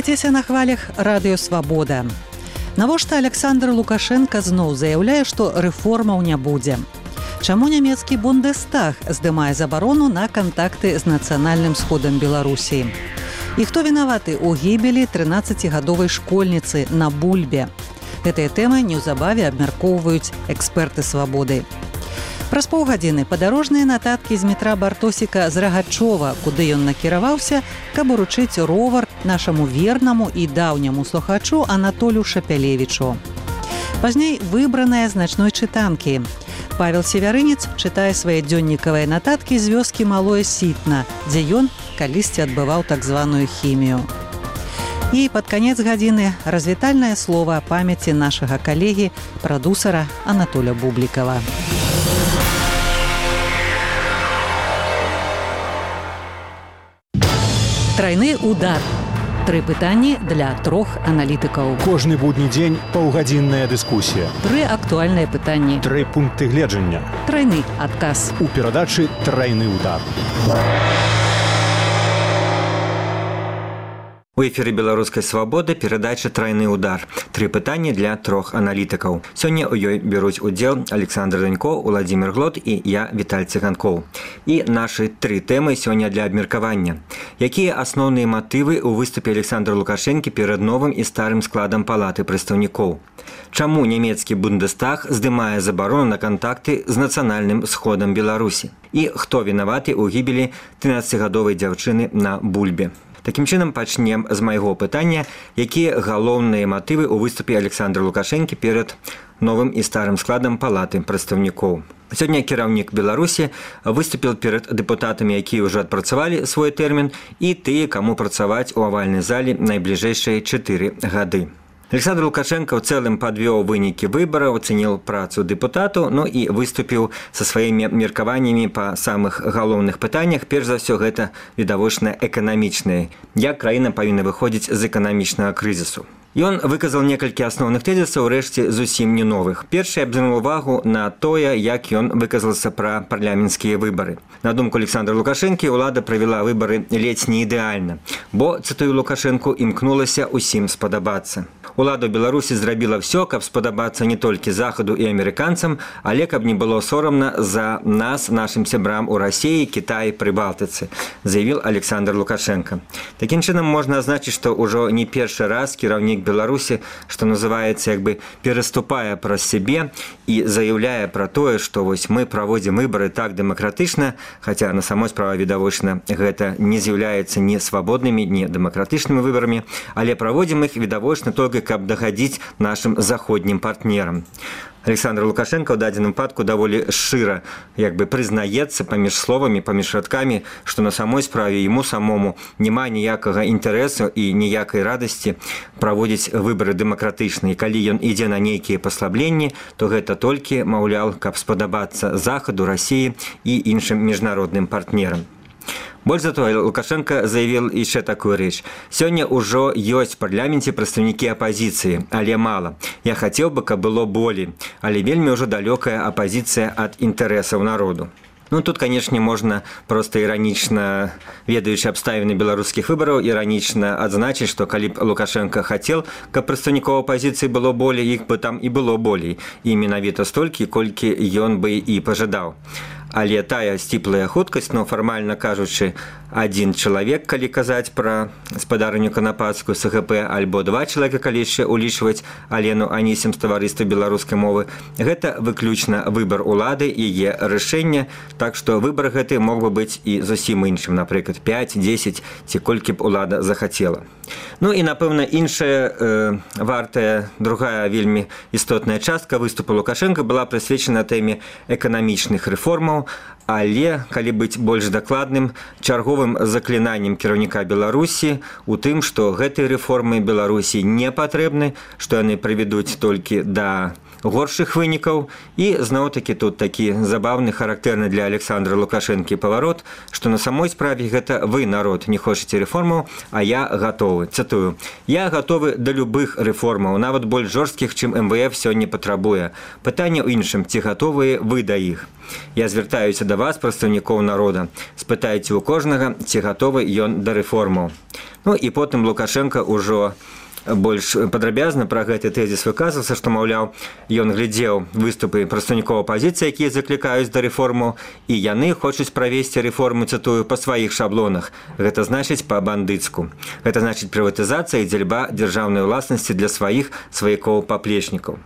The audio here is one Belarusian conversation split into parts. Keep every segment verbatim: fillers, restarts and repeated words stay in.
Застайцеся на хвалях радыё «Свабода». Навошта Александр Лукашенко зноў заяўляе, што рэформаў не будзе? Чаму нямецкі Бундестаг здымае забарону на кантакты з нацыянальным сходам Беларусі? І хто вінаваты ў гібелі трынаццацігадовай школьніцы на Бульбе? Гэтыя тэмы неўзабаве абмяркоўваюць эксперты «Свабоды». Праз паўгадзіны падарожныя нататкі з метра Бартосіка з Рагачова, куды ён накіраваўся, каб уручыць ровар нашаму вернаму і даўняму слухачу Анатолю Шапялевічу. Пазней выбраная з начной чытанкі. Павел Севярынец чытае свае дзённікавыя нататкі з вёскі Малое Сітна, дзе ён калісьці адбываў так званую хімію. І пад канец гадзіны развітальнае слова памяці нашага калегі, прадусара Анатоля Бублікава. Трайны удар. Тры пытанні для трох аналітыкаў. Кожны будні дзень паўгадзінная дыскусія. Тры актуальныя пытанні. Тры пункты гледжання. Трайны адказ. У перадачы «Трайны удар». У эфіры беларускай «Свабоды» перадача «Трайны удар». Тры пытанні для трох аналітыкаў. Сёння ў ёй бяруць удзел Александр Данько, Уладзімір Глот і я, Віталь Циганкоў. І нашы тры тэмы сёння для абмеркавання. Якія асноўныя матывы ў выступе Александра Лукашэнкі перад новым і старым складам палаты прадстаўнікоў? Чаму нямецкі Бундестаг здымае забарону на кантакты з нацыянальным сходам Беларусі? І хто вінаваты ў гібелі трынаццацігадовай дзяўчыны на Бульбе? Такім чынам пачнем з майго пытання, якія галоўныя матывы ў выступе Александра Лукашэнкі перад новым і старым складам палаты прадстаўнікоў. Сёння кіраўнік Беларусі выступіў перад дэпутатамі, якія ўжо адпрацавалі свой тэрмін, і тыя, каму працаваць у авальнай залі найбліжэйшыя чатыры гады. Александр Лукашенко ў цэлым падвёў вынікі выбараў, ацэніў працу дэпутату, ну і выступіў са сваімі меркаваннямі па самых галоўных пытаннях. Перш за ўсё, гэта відавочна эканамічнае. Як краіна павінна выходзіць з эканамічнага крызісу. Ён выказаў некалькі асноўных тэзісаў, рэшце зусім не новых. Першы абзірнуў увагу на тое, як ён выказался пра парламенцкія выбары. На думку Александра Лукашэнкі, улада правяла выбары ледзь не ідэальна, бо, цытую Лукашэнку, імкнулася ўсім спадабацца. Улада ў Беларусі зрабіла ўсё, каб спадабацца не толькі Захаду і амерыканцам, але каб не было сорамна за нас, нашым сябрам у Расіі, Кітаі, Прыбалтыцы, заявіў Александр Лукашенко. Такім чынам можна азначыць, што ўжо не першы раз кіраўнік Беларусі, што называецца, як бы пераступае праз сябе і заяўляе пра тое, што вось мы праводзім выбары так дэмакратычна, хаця на самой справе відавочна гэта не з'яўляецца ні свабоднымі, ні дэмакратычнымі выбарамі, але праводзім іх відавочна толькі каб дагадзіць нашым заходнім партнерам. Александр Лукашенко ў дадзеным выпадку даволі шчыра як бы прызнаецца паміж словамі, паміж радкамі, што на самой справе яму самому няма ніякага інтарэсу і ніякай радасці праводзіць выбары дэмакратычныя. Калі ён ідзе на нейкія паслабленні, то гэта толькі, маўляў, каб спадабацца Захаду, Расіі і іншым міжнародным партнерам. Больш за тое, Лукашенко заявіў яшчэ такую рэч. Сёння ўжо ёсць у парламенце прадстаўнікі апазіцыі, але мала. Я хацеў бы, каб было болей, але вельмі ўжо далёкая апазіцыя ад інтарэсаў народу. Ну, тут, канешне, можна проста іранічна, ведаючы абставіны беларускіх выбараў, іранічна адзначыць, што калі б Лукашенко хацеў, каб прадстаўнікоў апазіцыі было болей, іх бы там і было болей. І менавіта столькі, колькі ён бы і пажадаў. Але тая сціплая хуткасць, ну, фармальна кажучы, адзін чалавек, калі казаць пра спадарню Канапацкую з СГП, альбо два чалавека, калі яшчэ улічваць Алену Анісім з таварыства беларускай мовы, гэта выключна выбар улады, яе рашэнне, так што выбар гэты мог бы быць і зусім іншым, напрыклад, пяць, дзесяць, ці колькі б улада захацела. Ну і, напэўна, іншая э, вартая, другая вельмі істотная частка выступу Лукашенка была прысвечана тэме эканамічных рэформаў, але, калі быць больш дакладным, чарговым заклінаннем кіраўніка Беларусі у тым, што гэтыя рэформы Беларусі не патрэбны, што яны прывядуць толькі да горшых вынікаў. І зноў-такі тут такі забаўны, характэрны для Александра Лукашэнкі паварот, што на самой справе гэта вы, народ, не хочаце рэформаў, а я гатовы. Цытую: «Я гатовы да любых рэформаў, нават больш жорсткіх, чым эм вэ эф сёння патрабуе. Пытанне ў іншым, ці гатовыя вы да іх? Я звяртаюся да вас, прадстаўнікоў народа. Спытайце ў кожнага, ці гатовы ён да рэформаў». Ну і потым Лукашенко ўжо больш падрабязна пра гэты тэзіс выказваўся, што, маўляў, ён глядзеў выступы прадстаўнікоў апазіцыі, якія заклікаюць да рэформаў, і яны хочуць правесці рэформу, цытую, па сваіх шаблонах. Гэта значыць па-бандыцку. Гэта значыць прыватызацыя і дзельба дзяржаўнай уласнасці для сваіх сваякоў-паплечнікаў.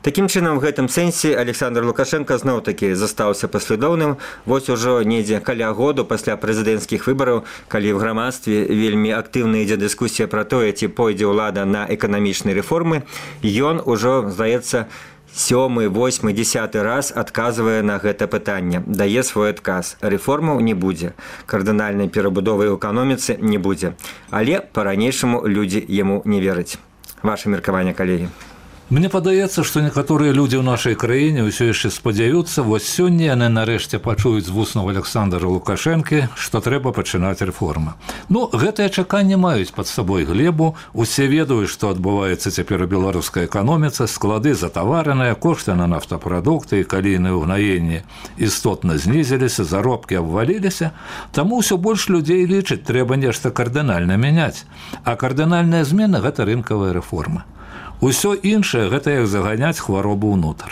Такім чынам, у гэтым сэнсе Александр Лукашенко зноў-такі застаўся паслядоўным. Вось ужо недзе каля году пасля прэзідэнцкіх выбараў, калі ў грамадстве вельмі актыўна ідзе дыскусія пра тое, ці пойдзе ўлада на эканамічныя рэформы, ён ужо, здаецца, сёмы, восьмы, дзясяты раз адказвае на гэта пытанне, дае свой адказ. Рэформаў не будзе, кардынальнай перабудовы ў эканоміцы не будзе. Але па-ранейшаму людзі яму не вераць. Ваше меркаванне, калегі? Мне падаецца, што некаторыя людзі ў нашай краіне ўсё яшчэ спадзяюцца, вось сёння яны нарэшце пачуюць з вуснаў Александра Лукашэнкі, што трэба пачынаць рэформы. Ну, гэтыя чаканні маюць пад сабой глебу, усе ведаюць, што адбываецца цяпер у беларускай эканоміцы, склады затавараныя, кошты на нафтапрадукты і калійныя ўгнаенні істотна знізіліся, заробкі абваліліся, таму ўсё больш людзей лічаць, трэба нешта кардынальна мяняць. А кардынальная змена – гэта рынкавая рэформа. Усё іншае – гэта як заганяць хваробу ўнутр.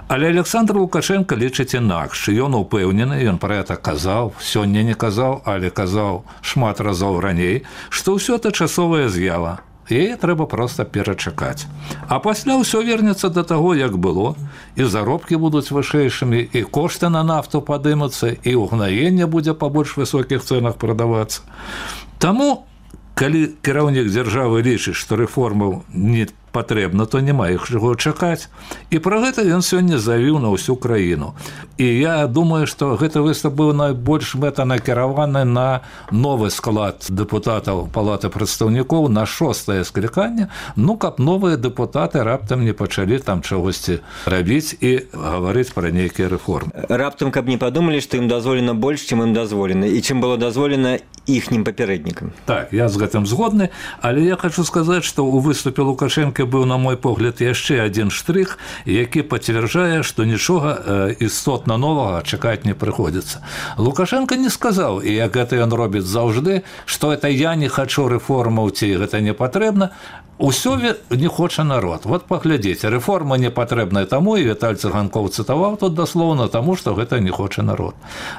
Але Александр Лукашенко лічыць інакш. Ён упэўнены, ён пра гэта казаў, сёння не казаў, але казаў шмат разоў раней, што ўсё это часовая з'ява. Яе трэба проста перачакаць. А пасля ўсё вернецца да таго, як было, і заробкі будуць вышэйшымі, і кошты на нафту падымуцца, і ўгнаенне будзе па больш высокіх цэнах прадавацца. Таму, калі кіраўнік дзяржавы лічыць, што рэформаў не патрэбна, то няма іх чаго чакаць. І пра гэта ён сёння заявіў на ўсю краіну. І я думаю, што гэты выступ быў найбольш мэтанакіраваны на новы склад дэпутатаў Палаты прадстаўнікоў, на шостае скліканне, ну, каб новыя дэпутаты раптам не пачалі там чагосьці рабіць і гаварыць пра нейкія рэформы. Раптам, каб не падумалі, што ім дазволена больш, чым ім дазволена, і чым было дазволена іхнім папярэднікам. Так, я з гэтым згодны, але я хочу сказаць, што ў выступе Лукашэнка быў, на мой погляд, яшчэ адзін штрых, які пацвярджае, што нічога істотна новага чакаць не прыходзіцца. Лукашенко не сказаў, і як гэта ён робіць заўжды, што это я не хачу рэформаў, ці гэта не патрэбна. Усё не хоча народ. Вот паглядзіце, рэформа не патрэбная таму, і Віталь Цыганкоў цытаваў тут даслоўна таму, што гэта не хоча народ.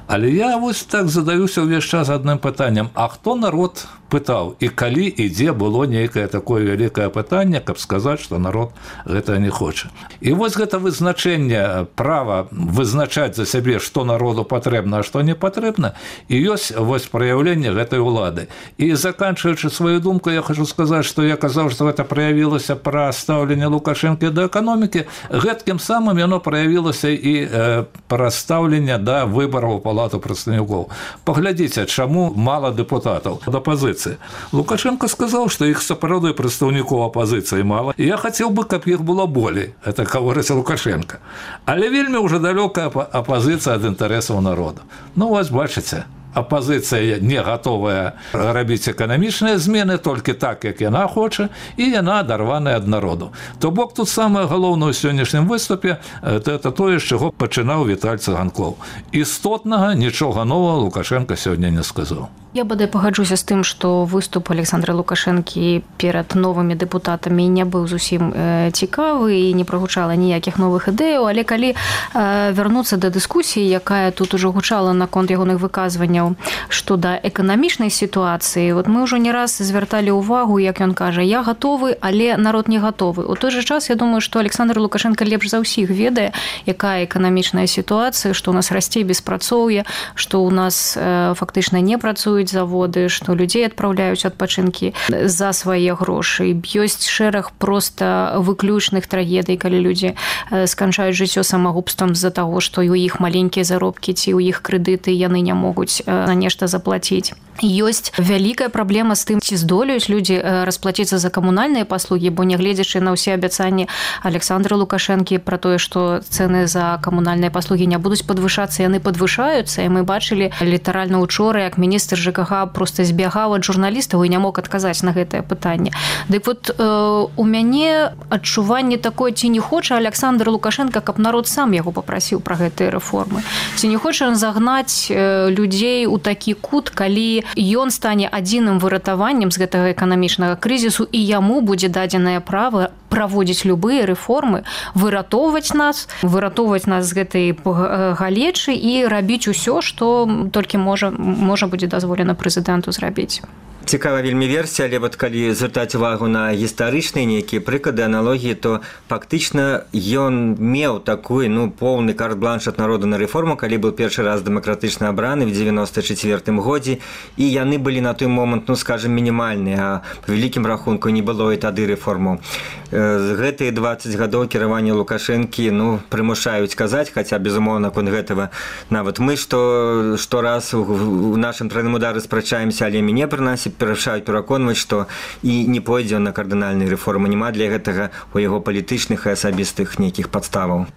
Але я вось так задаюся ўвесь час адным пытаннем: а хто народ пытаў, і калі і дзе было нейкае такое вялікае пытанне, каб сказаць, што народ гэта не хоча. І вось гэта вызначэнне права вызначаць за сябе, што народу патрэбна, а што не патрэбна, і ёсць вось праяўленне гэтай улады. І заканчваючы сваю думку, я хочу сказаць, што я казаў, што гэта праявілася пра стаўленне Лукашэнкі да эканомікі, гэткім самым яно праявілася і э, пра стаўленне да выбараў у Палату прадстаўнікоў. Паглядзіце, чаму мала дэпутатаў ад апазіцыі. Лукашенко сказаў, што іх сапраўды прадстаўнікоў апазіцыі мала, і я хацеў бы, каб іх было болей. Это гаворыць Лукашенко. Але вельмі ўжо далёкая апазіцыя ад інтарэсаў народа. Ну, вось бачыце, апазіцыя не гатовая рабіць эканамічныя змены толькі так, як яна хоча, і яна адарваная ад народу. То бок тут самае галоўнае ў сённяшнім выступе – это тое, з чаго пачынаў Віталь Цыганкоў. Істотнага нічога новага Лукашенко сёння не сказаў. Я бадай пагаджуся з тым, што выступ Александра Лукашэнкі перад новымі дэпутатамі не быў зусім э, цікавы і не прагучала ніякіх новых ідэяў, але калі э, вярнуцца да дыскусіі, якая тут ужо гучала наконт ягоных выказванняў, што да эканамічнай сітуацыі, вот мы ўжо не раз звярталі ўвагу, як ён кажа, я гатовы, але народ не гатовы. У той жа час, я думаю, што Александр Лукашенко лепш за ўсіх ведае, якая эканамічная сітуацыя, што ў нас расце беспрацоўе, што ў нас э, фактычна не працуе арендуюць заводы, што людзей адпраўляюць адпачынкі за свае грошы. Ёсць шэраг проста выключных трагедый, калі людзі сканчаюць жыццё самагубствам з-за таго, што ў іх маленькія заробкі ці ў іх крэдыты яны не могуць на нешта заплаціць. Ёсць вялікая праблема з тым, ці здолеюць людзі расплаціцца за камунальныя паслугі, бо нягледзячы на ўсе абяцанні Александра Лукашэнкі пра тое, што цэны за камунальныя паслугі не будуць падвышацца, яны падвышаюцца, і мы бачылі літаральна учора, як міністр ЖКХ проста збягаў ад журналістаў і не мог адказаць на гэтае пытанне. Дык вот э, у мяне адчуванне такое, ці не хоча Александр Лукашенко, каб народ сам яго папрасіў пра гэтыя рэформы. Ці не хоча ён загнаць э, людзей у такі кут, калі ён стане адзіным выратаваннем з гэтага эканамічнага крызісу, і яму будзе дадзенае права праводзіць любыя рэформы, выратоўваць нас, выратоўваць нас з гэтай галечы і рабіць усё, што толькі можа, можа будзе дазволена прэзідэнту зрабіць. Цікава вельмі версія, але вот калі звяртаць увагу на гістарычныя нейкія прыклады, аналогіі, то фактычна ён меў такой, ну, поўны карт-бланш ад народу на рэформу, калі быў першы раз дэмакратычна абраны в дзевяноста чацвёртым годзе, і яны былі на той момант, ну, скажем, мінімальныя, а па вялікім рахунку не было і тады рэформаў. Гэтыя дваццаць гадоў кіравання Лукашэнкі, ну, прымушаюць казаць, хаця, безумоўна, конь гэтага нават мы, што штораз у нашым трайным удары спрачаемся, але мяне прынамсі перашаюць пераконваць, што і не пойдзе на кардынальныя рэформы, няма для гэтага у яго палітычных і асабістых нейкіх падставаў.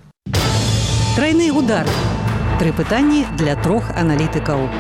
Трайны удар. Тры пытанні для трох аналітыкаў.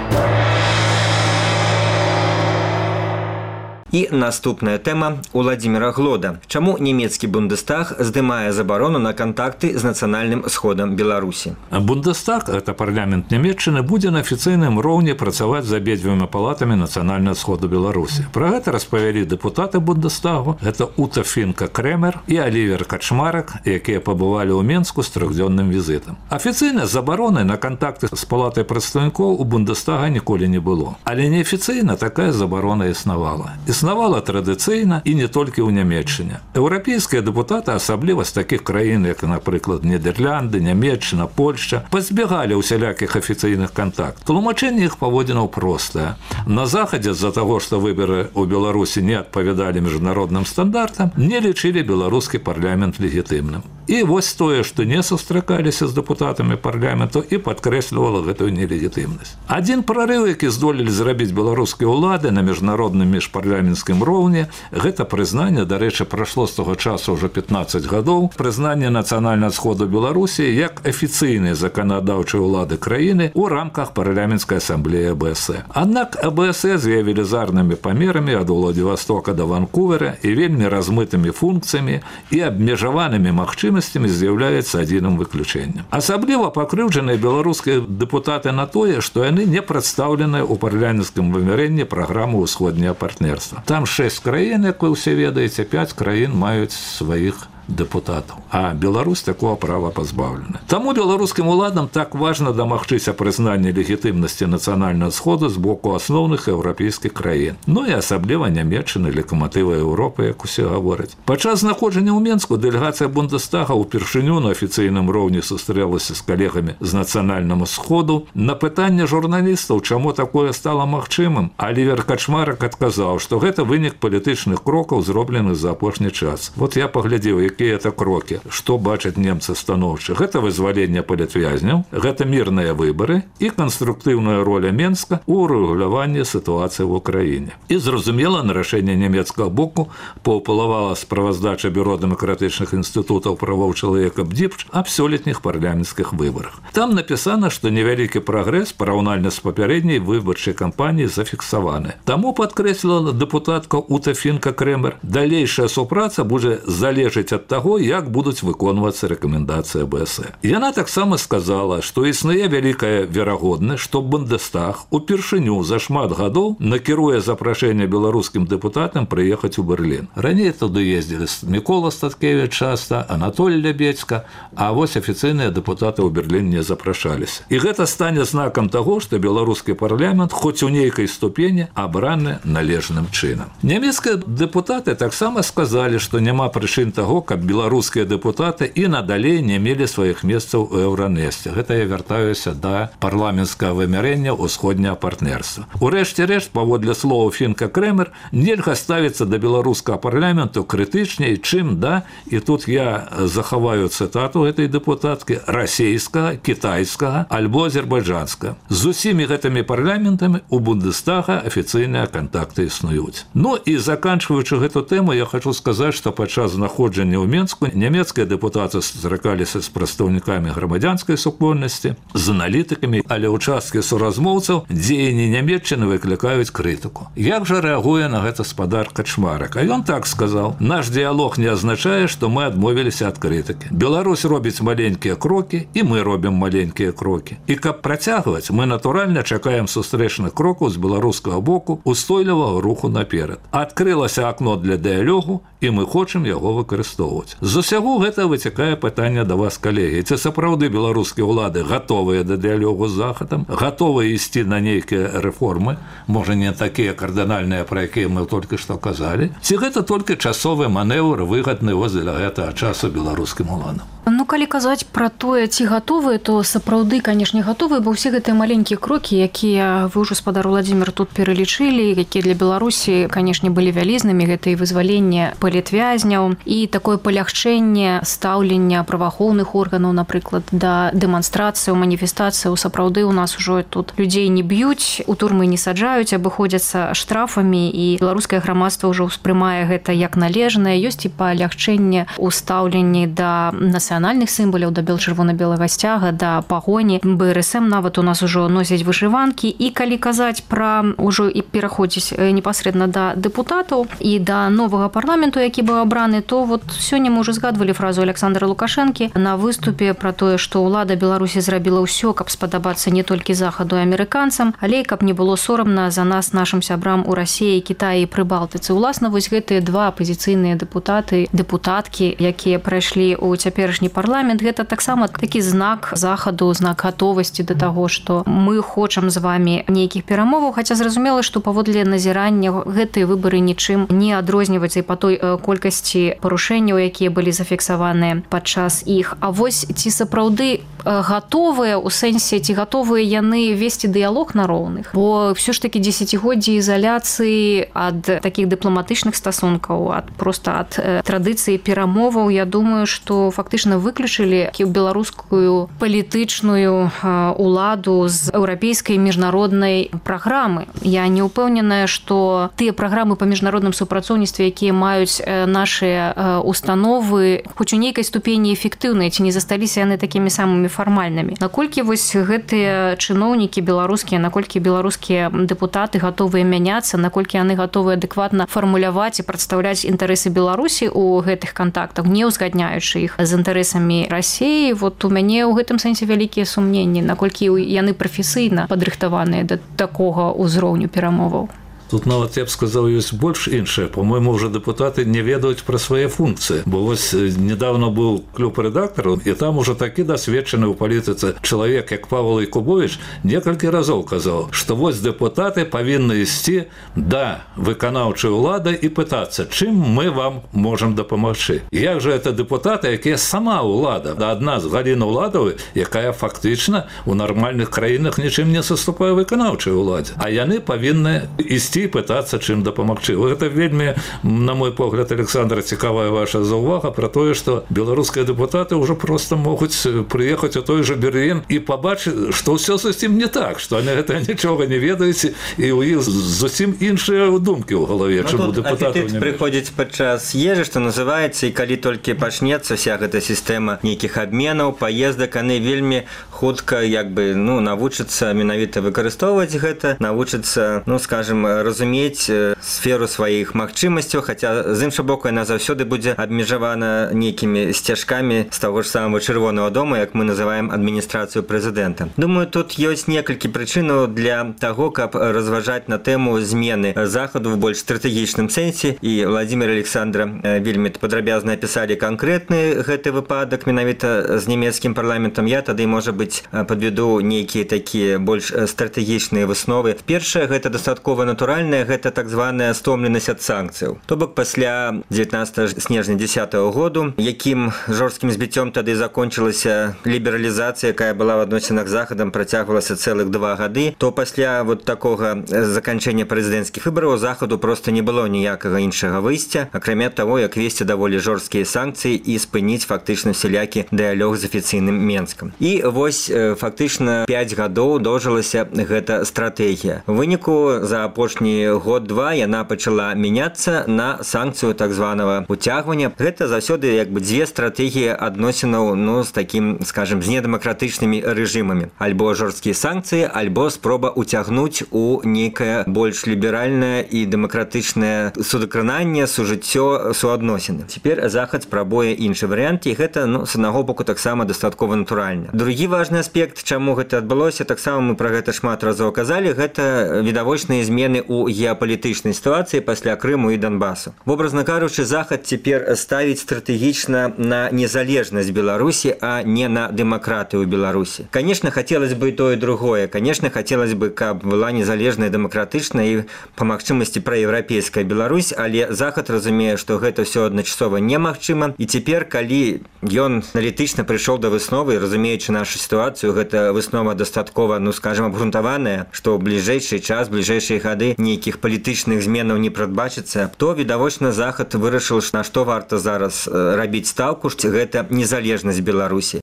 І наступная тэма Уладзіміра Глода. Чаму нямецкі Бундестаг здымае забарону на кантакты з нацыянальным сходам Беларусі? Бундестаг, это парламент Нямецчыны, будзе на афіцыйным роўні працаваць з абедзвюма палатамі нацыянальнага сходу Беларусі. Пра гэта распавялі дэпутаты Бундестагу. Гэта Ута Фінка-Крэмер і Алівер Качмарак, якія пабывалі ў Менску з трыхдзённым візітам. Афіцыйна забароны на кантакты з палатай прадстаўнікоў у Бундестага ніколі не было. Але неафіцыйна такая забарона існавала. Існавала традыцыйна і не толькі ў Нямецчыне. Еўрапейскія дэпутаты, асабліва з такіх краін, як, напрыклад, Нідерланды, Нямецчына, Польшча, пазбягалі ўсялякіх афіцыйных кантактаў. Тлумачэнне іх паводзінаў простае. На Захадзе з-за таго, што выбары ў Беларусі не адпавядалі міжнародным стандартам, не лічылі беларускі парламент легітымным. І вось тое, што не сустракаліся з дэпутатамі парламенту, і падкрэслівала гэтую нелегітымнасць. Адзін прарыў, які здолелі зрабіць беларускія ўлады на міжнародным міжпарламенцкім роўні, гэта прызнанне, дарэчы, прайшло з таго часу ўжо пятнаццаць гадоў, прызнанне нацыянальнага сходу Беларусі як афіцыйнай заканадаўчай улады краіны ў рамках парламенцкай асамблеі АБС. Аднак АБС з яе велізарнымі памерамі ад Уладзівастока да Ванкувера і вельмі размытымі функцыямі і абмежаванымі магчымасцямі з'яўляецца адзіным выключэннем. Асабліва пакрыўджаныя беларускія дэпутаты на тое, што яны не прадстаўленыя ў парламенцкім вымярэнні праграмы ўсходняга партнерства. Там шэсць краін, як вы ўсе ведаеце, пяць краін маюць сваіх дэпутатаў, а Беларусь такого права пазбаўлена. Таму беларускім уладам так важна дамагчыся прызнання легітымнасці нацыянальнага сходу з боку асноўных еўрапейскіх краін, ну і асабліва Нямецчыны, лакаматыва Еўропы, як усе гавораць. Падчас знаходжання ў Менску дэлегацыя Бундестага ўпершыню на афіцыйным роўні сустрэлася з калегамі з нацыянальнага сходу. На пытанне журналістаў, чаму такое стала магчымым, Алівер Качмарак адказаў, што гэта вынік палітычных крокаў, зробленых за апошні час. Вот я паглядзеў, якія это крокі, што бачаць немцы станоўча. Гэта вызваленне палітвязняў, гэта мірныя выбары і канструктыўная роля Менска ў рэгуляванні сітуацыі ў Украіне. І зразумела, на рашэнне нямецкага боку паўплывала справаздача Бюро дэмакратычных інстытутаў правоў чалавека БДІПЧ аб сёлетніх парламенцкіх выбарах. Там напісана, што невялікі прагрэс параўнальна з папярэдняй выбарчай кампаніяй зафіксаваны. Таму падкрэсліла дэпутатка Ута Фінка-Крэмер, далейшая супраца будзе залежыць ад таго, як будуць выконвацца рэкамендацыі АБС. Яна таксама сказала, што існуе вялікая верагоднасць, што Бундестаг упершыню за шмат гадоў накіруе запрашэнне беларускім дэпутатам прыехаць у Берлін. Раней туды ездзілі Мікола Статкевіч часта, Анатолій Лябедзька, а вось афіцыйныя дэпутаты ў Берлін не запрашаліся. І гэта стане знакам таго, што беларускі парламент хоць у нейкай ступені абраны належным чынам. Нямецкія дэпутаты таксама сказалі, што няма прычын таго, каб беларускія дэпутаты і надалей не мелі сваіх месцаў у Еўранесце. Гэта я вяртаюся да парламенцкага вымярэння ўсходняга партнерства. Урэшце рэшт, паводле словаў Фінка Крэмер, нельга ставіцца да беларускага парламенту крытычней, чым да, і тут я захаваю цытату гэтай дэпутаткі, расійскага, кітайскага альбо азербайджанскага. З усімі гэтымі парламентамі у Бундестага афіцыйныя кантакты існуюць. Ну і заканчваючы гэту тэму, я хочу сказаць, што падчас знаходжання ў Менску нямецкія дэпутаты сустракаліся з прадстаўнікамі грамадзянскай супольнасці, з аналітыкамі, але ўчасткі суразмоўцаў дзеянні Нямецчыны выклікаюць крытыку. Як жа рэагуе на гэта спадар Качмарык? А ён так сказаў: наш дыялог не азначае, што мы адмовіліся ад крытыкі. Беларусь робіць маленькія крокі, і мы робім маленькія крокі. І каб працягваць, мы натуральна чакаем сустрэчных крокаў з беларускага боку устойлівага руху наперад. Адкрылася акно для дыялогу, і мы хочам яго выкарыстоўваць. З усяго гэта выцякае пытанне да вас, калегі. Ці сапраўды беларускія ўлады гатовыя да дыялогу з Захадам, гатовыя ісці на нейкія рэформы, можа не такія кардынальныя, пра якія мы толькі што казалі, ці гэта толькі часовы манеўр, выгадны воз для гэтага часу беларускім уладам? Ну, калі казаць пра тое, ці гатовыя, то сапраўды, канешне, гатовыя, бо ўсе гэтыя маленькія крокі, якія вы ўжо, спадар Уладзімір, тут пералічылі, якія для Беларусі, канешне, былі вялізнымі, гэта і вызваленне палітвязняў, і такое палягчэнне стаўлення праваахоўных органаў, напрыклад, да дэманстрацыяў, маніфестацыяў. Сапраўды у нас ужо тут людзей не б'юць, у турмы не саджаюць, абыходзяцца штрафамі, і беларускае грамадства ўжо ўспрымае гэта як належнае. Ёсць і палягчэнне ў стаўленні да нацыянальных сімваляў, да бел-чырвона-белага сцяга, да пагоні. бэ эр эс эм нават у нас ужо носяць вышыванкі. І калі казаць пра ўжо і пераходзіць непасрэдна да дэпутатаў і да новага парламенту, які быў абраны, то вот сёння мы ўжо згадвалі фразу Александра Лукашэнкі на выступе пра тое, што ўлада Беларусі зрабіла ўсё, каб спадабацца не толькі захаду і амерыканцам, але і каб не было сорамна за нас, нашым сябрам у Расіі, Кітаі і Прыбалтыцы. Уласна, вось гэтыя два апазіцыйныя дэпутаты, дэпутаткі, якія прайшлі ў цяперашні парламент, гэта таксама такі знак захаду, знак гатовасці да таго, што мы хочам з вамі нейкіх перамоваў, хаця зразумела, што паводле назірання гэтыя выбары нічым не адрозніваюцца і па той колькасці парушэнняў, якія былі зафіксаваныя падчас іх. А вось ці сапраўды гатовыя, у сэнсе, ці гатовыя яны весці дыялог на роўных? Бо ўсё ж такі дзесяцігоддзі ізаляцыі ад такіх дыпламатычных стасункаў, ад проста ад традыцыі перамоваў, я думаю, што фактычна выключылі беларускую палітычную уладу з еўрапейскай міжнароднай праграмы. Я не ўпэўненая, што тыя праграмы па міжнародным супрацоўніцтве, якія маюць нашыя установы, хоць у нейкай ступені эфектыўныя, ці не засталіся яны такімі самымі фармальнымі. Наколькі вось гэтыя чыноўнікі беларускія, наколькі беларускія дэпутаты гатовыя мяняцца, наколькі яны гатовыя адэкватна фармуляваць і прадстаўляць інтарэсы Беларусі ў гэтых кантактах, не ўзгадняючы іх з інтарэсамі Расіі, вот у мяне ў гэтым сэнсе вялікія сумненні, наколькі яны прафесійна падрыхтаваныя да такога ўзроўню перамоваў. Тут нават, я б сказаў, ёсць больш іншае. По-мойму, ўжо дэпутаты не ведаюць пра свае функцыі. Бо вось недавно быў клуб рэдактараў, і там ужо такі дасведчаны ў палітыцы чалавек, як Павел Якубович, некалькі разоў казаў, што вось дэпутаты павінны ісці да выканаўчай улады і пытацца, чым мы вам можам дапамагчы. Як жа это дэпутаты, якія сама ўлада, адна з Галіна Ўладавай, якая фактычна ў нармальных краінах нічым не саступае выканаўчай уладзе. А яны павінны ісці і пытацца чым дапамагчы. Гэта вельмі, на мой погляд, Александра, цікавая ваша заўвага пра тое, што беларускія дэпутаты ўжо проста могуць прыехаць у той жа Берлін і пабачыць, што ўсё зусім не так, што яны гэта нічога не ведаюць, і ў іх зусім іншыя думкі ў галаве, чым у дэпутатаў не прыходзіць падчас ежы, што называецца, і калі толькі пачнецца вся гэта сістэма нейкіх абменаў, паездак, яны вельмі хутка як бы, ну, навучацца менавіта выкарыстоўваць гэта, навучацца, ну, скажем, разумець сферу сваіх магчымасцяў, хаця з іншага боку яна заўсёды будзе абмежавана нейкімі сцяжкамі з таго ж самого Чырвонага дома, як мы называем адміністрацыю прэзідэнта. Думаю, тут ёсць некалькі прычынаў для таго, каб разважаць на тэму змены захаду в больш стратэгічным сэнсе, і Владимир і Александра вельмі падрабязна апісалі канкрэтны гэты выпадак менавіта з нямецкім парламентам. Я тады, можа быць, падведу нейкія такія больш стратэгічныя высновы. Першае, гэта дастаткова натуральна, ліберальная гэта так званая стомленасць ад санкцыяў. То бок пасля дзевятнаццатага снежня дзесятага году, якім жорсткім збіццём тады закончылася лібералізацыя, якая была в адносінах з захадам, працягвалася цэлых два гады, то пасля вот такога заканчэння прэзідэнцкіх выбараў захаду просто не было ніякага іншага выйсця, акрамя таго, як весці даволі жорсткія санкцыі і спыніць фактычна всялякі дыялог з афіцыйным Менскам. І вось фактычна пяць гадоў доўжылася гэта стратэгія. У выніку за апошні год-два яна пачала мяняцца на санкцыю так званага уцягвання. Гэта заўсёды як бы дзве стратэгіі адносінаў, ну, з такім, скажем, з недэмакратычнымі рэжымамі. Альбо жорсткія санкцыі, альбо спроба уцягнуць у нейкае больш ліберальнае і дэмакратычнае судакрананне, сужыццё, суадносіны. Цяпер захад спрабуе іншы варыянт, і гэта, ну, з аднаго боку таксама дастаткова натуральна. Другі важны аспект, чаму гэта адбылося, таксама мы пра гэта шмат разоў казалі, гэта відавочныя змены ў геапалітычнай сітуацыі пасля Крыму і Донбасу. Вобразна кажучы, захад цяпер ставіць стратэгічна на незалежнасць Беларусі, а не на дэмакратыю Беларусі. Конечно, хацелось бы і тое, і другое. Конечно, хацелось бы, каб была незалежная, дэмакратычная і па магчымасці праеўрапейская Беларусь, але захад разумее, што гэта ўсё адначасова немагчыма. І цяпер, калі ён аналітычна прыйшоў да высновы, разумеючы нашу сітуацыю, гэта выснова дастаткова, ну, скажем, абгрунтаваная, што ў бліжэйшы час, бліжэйшыя гады нейкіх палітычных зменаў не прадбачыцца, то відавочна захад вырашыў, на што варта зараз рабіць стаўку, што гэта незалежнасць Беларусі.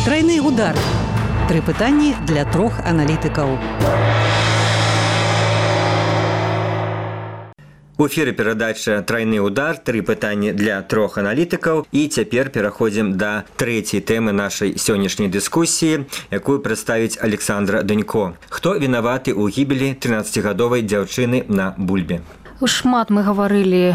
Трайны удар. Тры пытанні для трох аналітыкаў. У эфіры перадача «Трайны удар», тры пытанні для трох аналітыкаў. І цяпер пераходзім да трэцяй тэмы нашай сённяшняй дыскусіі, якую прадставіць Александра Данько. Хто вінаваты ў гібелі трынаццацігадовай дзяўчыны на Бульбе? Шмат мы гаварылі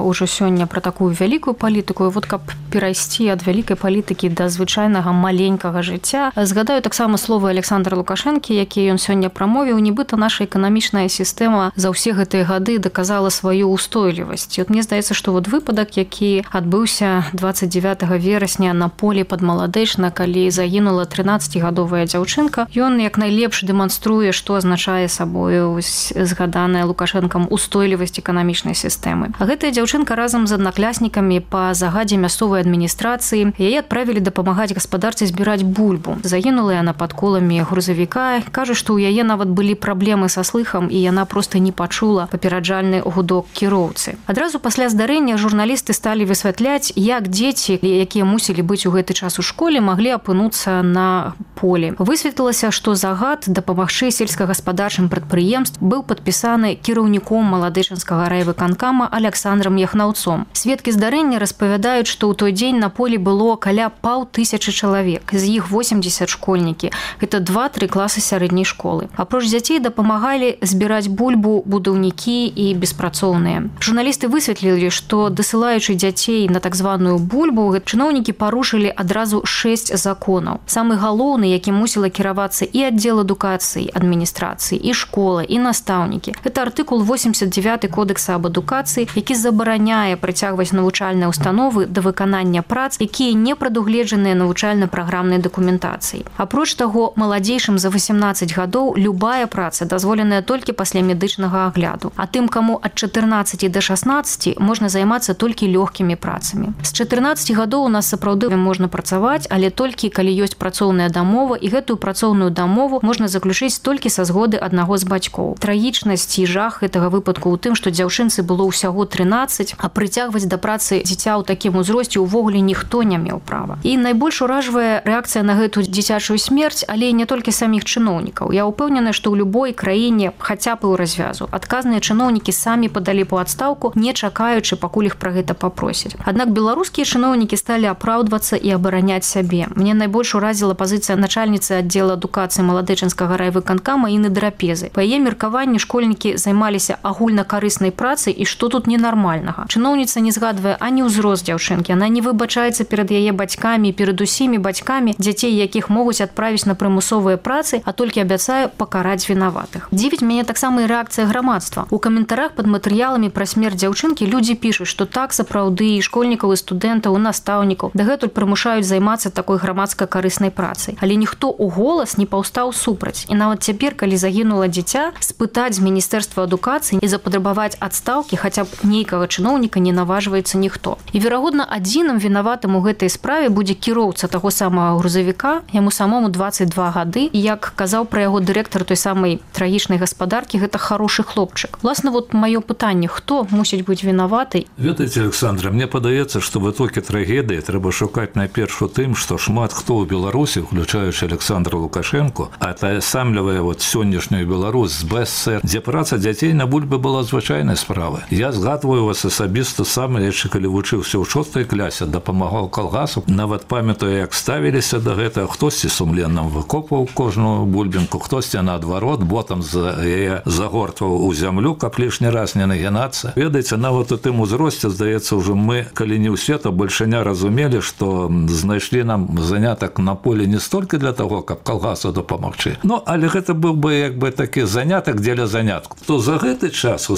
ўжо сёння пра такую вялікую палітыку, і вот каб перайсці ад вялікай палітыкі да звычайнага маленькага жыцця, згадаю таксама словы Александра Лукашэнкі, якія ён сёння прамовіў, нібыта наша эканамічная сістэма за ўсе гэтыя гады даказала сваю ўстойлівасць. І от мне здаецца, што вот выпадак, які адбыўся дваццаць дзевятага верасня на полі пад Маладэчна, калі загінула трынаццацігадовая дзяўчынка, ён як найлепш дэманструе, што азначае сабою згаданая Лукашэнкам ўстойлівасць эканамічнай сістэмы. А гэтая дзяўчынка разам з аднакляснікамі па загадзе мясцовай адміністрацыі яе адправілі дапамагаць гаспадарцы збіраць бульбу. Загінула яна пад коламі грузавіка. Кажа, што ў яе нават былі праблемы са слыхам, і яна проста не пачула папераджальны гудок кіроўцы. Адразу пасля здарэння журналісты сталі высвятляць, як дзеці, якія мусілі быць у гэты час у школе, маглі апынуцца на полі. Высветлілася, што загад дапамагчы сельскагаспадарчым прадпрыемствам быў падпісаны кіраўніком Маладэчанскага райвыканкама Александром Яхнаўцом. Сведкі здарэння распавядаюць, што ў той дзень на полі было каля паўтысячы чалавек, з іх восемьдесят школьнікі. Гэта два-тры класы сярэдняй школы. Апроч дзяцей дапамагалі збіраць бульбу будаўнікі і беспрацоўныя. Журналісты высветлілі, што дасылаючы дзяцей на так званую бульбу, чыноўнікі парушылі адразу шэсць законаў. Самы галоўны, які мусіла кіравацца і аддзел адукацыі, адміністрацыі, і школа, і настаўнікі. Гэта артыкул восемьдесят девятый кодекса об адукацыі, які забараняе прыцягваць навучальныя установы да выканання прац, якія не прадугледжаныя навучальна-праграмнай дакументацыяй. Апроч таго, маладзейшым за восемнадцать гадоў любая праца дазволеная толькі пасля медычнага агляду, а тым, каму ад чатырнаццаці да шаснаццаці можна займацца толькі лёгкімі працамі. З чатырнаццаці гадоў у нас сапраўды можна працаваць, але толькі калі ёсць працоўная дамова, і гэтую працоўную дамову можна заключыць толькі са згоды аднаго з бацькоў. Трагічнасць і жах гэтага выпадку ў тым, што дзяўчынцы было ўсяго трынаццаць, а прыцягваць да працы дзіця ў такім узросце ўвогуле ніхто не меў права. І найбольш уражвае рэакцыя на гэту дзіцячую смерць, але не толькі саміх чыноўнікаў. Я ўпэўнены, што ў любой краіне, хаця б і ў развязу, адказныя чыноўнікі самі падалі па адстаўку, не чакаючы, пакуль іх пра гэта папросяць. Аднак беларускія чыноўнікі сталі апраўдвацца і абараняць сябе. Мне найбольш уразіла пазіцыя начальніцы аддзела адукацыі Маладэчанскага райвыканкама Інны Драпезы. Па яе меркаванні школьнікі займаліся агульнакарысным карыснай працы і што тут ненармальнага. Чыноўніца не згадвае ані ўзрост дзяўчынкі, она не выбачаецца перад яе бацькамі, перад усімі бацькамі дзяцей, якіх могуць адправіць на прымусовыя працы, а толькі абяцае пакараць вінаватых. Дзівіць мяне таксама і рэакцыя грамадства. У каментарах пад матэрыяламі пра смерць дзяўчынкі людзі пішуць, што так сапраўды і школьнікаў, і студэнтаў, і настаўнікаў дагэтуль прымушаюць займацца такой грамадска-карыснай працай. Але ніхто ў голас не паўстаў супраць. І нават цяпер, калі загінула дзіця, спытаць з міністэрства адукацыі і запатрабаваць адстаўкі хаця б нейкага чыноўніка не наважваецца ніхто. І, верагодна, адзіным вінаватым у гэтай справе будзе кіроўца таго самага грузавіка, яму самому дваццаць два гады, і як казаў пра яго дырэктар той самай трагічнай гаспадаркі, гэта хорошы хлопчык. Власна, вот маё пытанне, хто мусіць быць вінаваты? Ведаеце, Александра, мне падаецца, што в итоге трагедыі трэба шукаць найперш у тым, што шмат хто ў Беларусі, уключаючы Александра Лукашенко, атаясамлівае вот сённяшнюю Беларусь з БССР, дзе праца дзяцей на бульбе была звычайнай справай. Я згадваю вас асабіста сам, яшчэ калі вучыўся ў шостай клясе, дапамагаў калгасу, нават памятаю, як ставіліся да гэтага, хтосьці сумленна выкопваў кожную бульбінку, хтосьці наадварот ботам за яе загортваў у зямлю, каб лішні раз не нагінацца. Ведаеце, нават у тым узросце, здаецца, ўжо мы, калі не ўсе, то большаня разумелі, што знайшлі нам занятак на поле не столькі для таго, каб калгасу дапамагчы. Ну, але гэта быў бы як бы такі занятак дзеля занятку. То за гэты час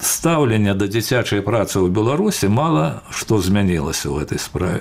стаўленне да дзіцячай працы ў Беларусі мала што змянілася ў гэтай справе.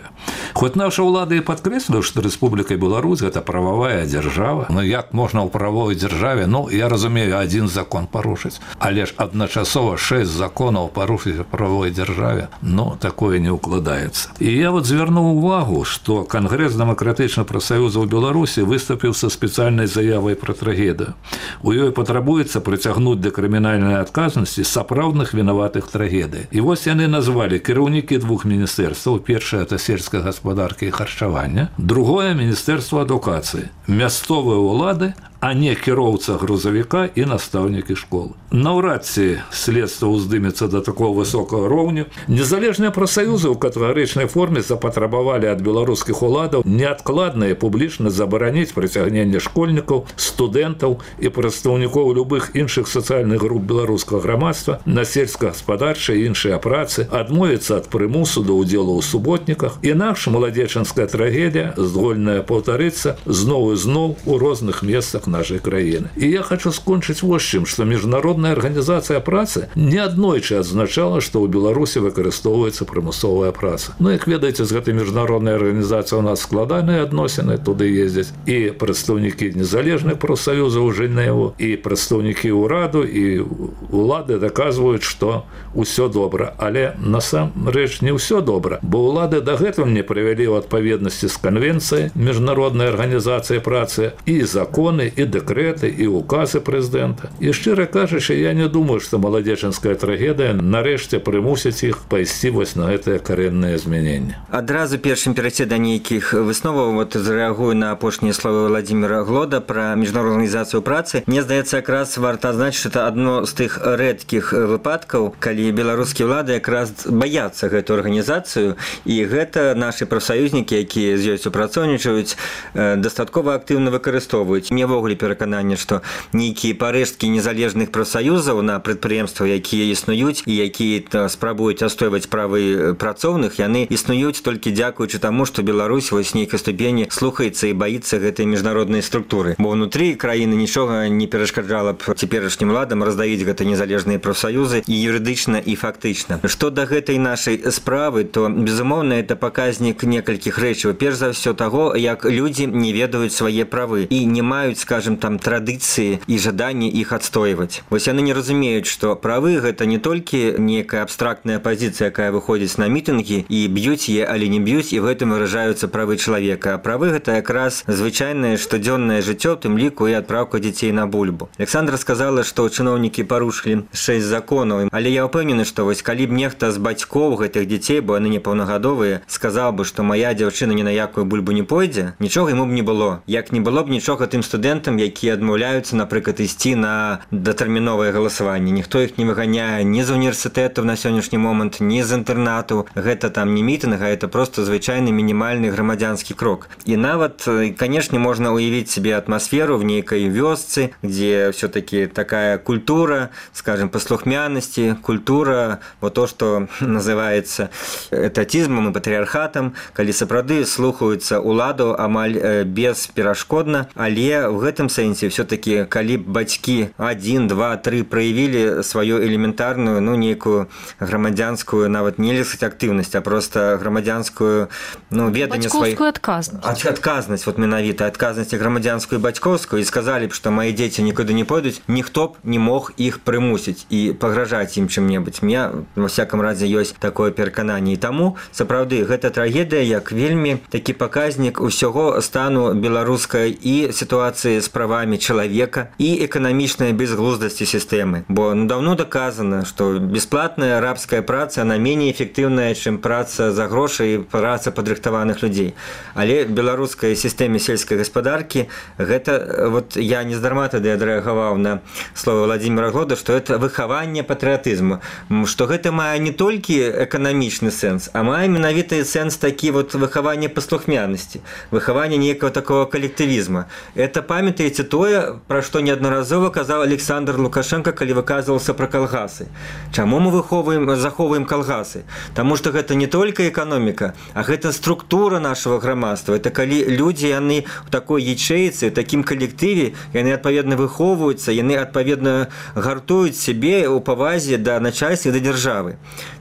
Хоць наша ўлада і падкрэсліла, што Рэспубліка Беларусь гэта прававая дзяржава. Ну як можна ў правовай дзяржаве, ну я разумею, адзін закон парушыць, але ж адначасова шэсць законаў парушыць у правовай дзяржаве, ну такое не ўкладаецца. І я вот звярнуў увагу, што Кангрэс дэмакратычных прафсаюзаў Беларусі выступіў са спецыяльнай заявай пра трагедыю. У ёй патрабуецца прыцягнуць да крымінальнай адказнасці сапраўдных вінаватых трагедый. І вось яны назвалі кіраўнікі двух міністэрстваў. Першае – это сельская гаспадарка і харчавання. Другое – міністэрства адукацыі. Мясцовыя ўлады, а не кіроўца грузавіка і настаўнікі школы. Наўрад ці следства ўздымецца да такого высокага роўню. Незалежныя прафсаюзы ў катэгарычнай форме запатрабавалі ад беларускіх уладаў неадкладна і публічна забараніць прыцягненне школьнікаў, студэнтаў і прадстаўнікоў любых іншых сацыяльных груп беларускага грамадства на сельскагаспадарчыя і іншыя працы, адмовіцца ад прымусу да ўдзелу ў суботніках. Інакш маладзечанская трагедія здольная паўтарыцца зноў і зноў у розных месцах нашай краіны. І я хочу скончыць вось чым, што міжнародная арганізацыя працы неаднойчы адзначала, што ў Беларусі выкарыстоўваецца прымусовая праца. Ну, як ведаеце, з гэтай міжнароднай арганізацыі у нас складаныя адносіны, туды ездзяць і прадстаўнікі незалежных прафсаюзаў Жэневу, і прадстаўнікі ўраду, і улады даказваюць, што ўсё добра. Але насамрэч не ўсё добра, бо ўлады дагэтуль не прывялі ў адпаведнасці з канвенцыяй міжнароднай арганізацыі працы і законы, і дэкрэты, і указы прэзідэнта. І шчыра кажучы, я не думаю, што маладзечанская трагедыя нарэшце прымусіць іх пайсці вось на гэтае карэннае змяненне. Адразу першым перайсці да нейкіх высноваў, вот зрэагую на апошнія словы Владзіміра Глода пра міжнародную арганізацыю працы. Мне здаецца, якраз варта адзначыць, што адно з тых рэдкіх выпадкаў, калі беларускія ўлады якраз баяцца гэтую арганізацыю, і гэта нашы прафсаюзнікі, якія з ёй супрацоўнічаюць, дастаткова актыўна выкарыстоўваюць. Мне вогуле перакананне, што нейкія парэшткі незалежных прафсаюзаў на прадпрыемствах, якія існуюць і якія спрабуюць адстойваць правы працоўных, яны існуюць толькі дзякуючы таму, што Беларусь вось нейкай ступені слухаецца і баіцца гэтай міжнароднай структуры. Бо ўнутры краіны нічога не перашкаджала б цяперашнім уладам раздавіць гэта незалежныя прафсаюзы і юрыдычна, і фактычна. Што да гэтай нашай справы, то, безумоўна, это паказнік некалькіх рэчаў. Перш за ўсё таго, як людзі не ведаюць свае правы і не маюць, скажем, там традыцыі і жаданні іх адстойваць. Вось яны не разумеюць, што правы гэта не толькі некая абстрактная пазіцыя, якая выходзіць на мітынгі і б'юць яе, але не б'юць, і в гэтым выражаюцца правы чалавека. А правы гэта якраз звычайнае штодзённае жыццё, у тым ліку і адпраўка дзяцей на бульбу. Александра сказала, што чыноўнікі парушылі шэсць законаў, але я ўпэўнены, што вось калі б нехта з бацькоў гэтых дзяцей, бо яны непаўнагадовыя, сказаў бы, што мая дзяўчына ні на якую бульбу не пойдзе, нічога яму б не было. Як не было б нічога тым студэнтам, студэнтам, якія адмаўляюцца, напрыклад, ісці на датэрміновае галасаванне. Ніхто іх не выганяе ні з універсітэтаў на сённяшні момант, ні з інтэрнатаў. Гэта там не мітынг, а это просто звычайны мінімальны грамадзянскі крок. І нават, канешне, можна уявіць себе атмасферу в нейкай вёсцы, дзе все-таки такая культура, скажем, паслухмянасці, культура, вот то, что называется этатизмом и патриархатом, калі сапраўды слухаюцца уладу амаль бесперашкодна, але в гэтым сэнсе все-таки, калі бацькі один, два, три проявили свою элементарную, ну, некую грамадзянскую, нават не сказать активность, а просто грамадзянскую, ну, веданне сваіх... Бацькоўскую адказнасць. Адказнасць, вот менавіта, адказнасць грамадзянскую і бацькоўскую, і сказалі б, што мои дзеці нікуды не пойдуць, ніхто б не мог іх прымусіць і пагражаць ім чым-небудзь. Мне, во всяком разе, ёсць такое перакананне. І таму, сапраўды, гэта трагедыя, як вельмі такі паказнік усяго стану беларускай і сітуацыі з правамі чалавека і эканамічнай безглуздасці сістэмы. Бо ну, давно доказано, што бесплатная рабская праца, она менее эфектыўная, чым праца за грошы і праца падрыхтаваных людзей. Але в беларускай сістэме сельскай гаспадаркі гэта, вот я нездарма тады адрэагаваў на слово Владимира Глода, што это выхаванне патрыятызму, што гэта мае не толькі эканамічны сэнс, а мае менавіты сэнс такі вот выхаванне паслухмянасці, выхаванне нейкага такого калектывізма. Это памятаеце тое, пра што неаднаразова казаў Александр Лукашенко, калі выказваўся пра калгасы. Чаму мы выхоўваем, захоўваем калгасы? Таму што гэта не толькі эканоміка, а гэта структура нашага грамадства. Это калі людзі, яны ў такой ячэйцы, у такім калектыве, яны адпаведна выхоўваюцца, яны адпаведна гартуюць сябе ў павазе да начальства і да дзяржавы.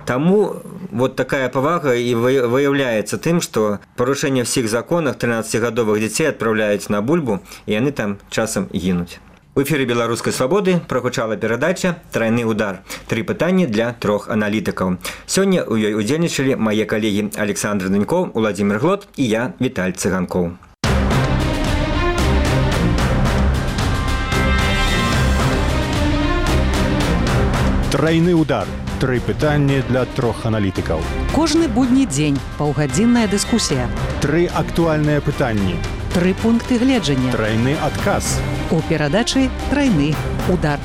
Таму вот такая павага і выяўляецца тым, што парушэнне ўсіх законах трынаццацігадовых дзяцей адпраўляюць на бульбу, і яны там часам гінуць. У эфіры «Беларускай свабоды» прагучала перадача «Трайны удар». Тры пытанні для трох аналітыкаў. Сёння ў ёй удзельнічалі мае калегі Александр Данько, Уладзімір Глод і я, Віталь Цыганкоў. Трайны удар. Тры пытанні для трох аналітыкаў. Кожны будні дзень паўгадзінная дыскусія. Тры актуальныя пытанні. Тры пункты гледжання. Трайны адказ. У перадачы «Трайны удар».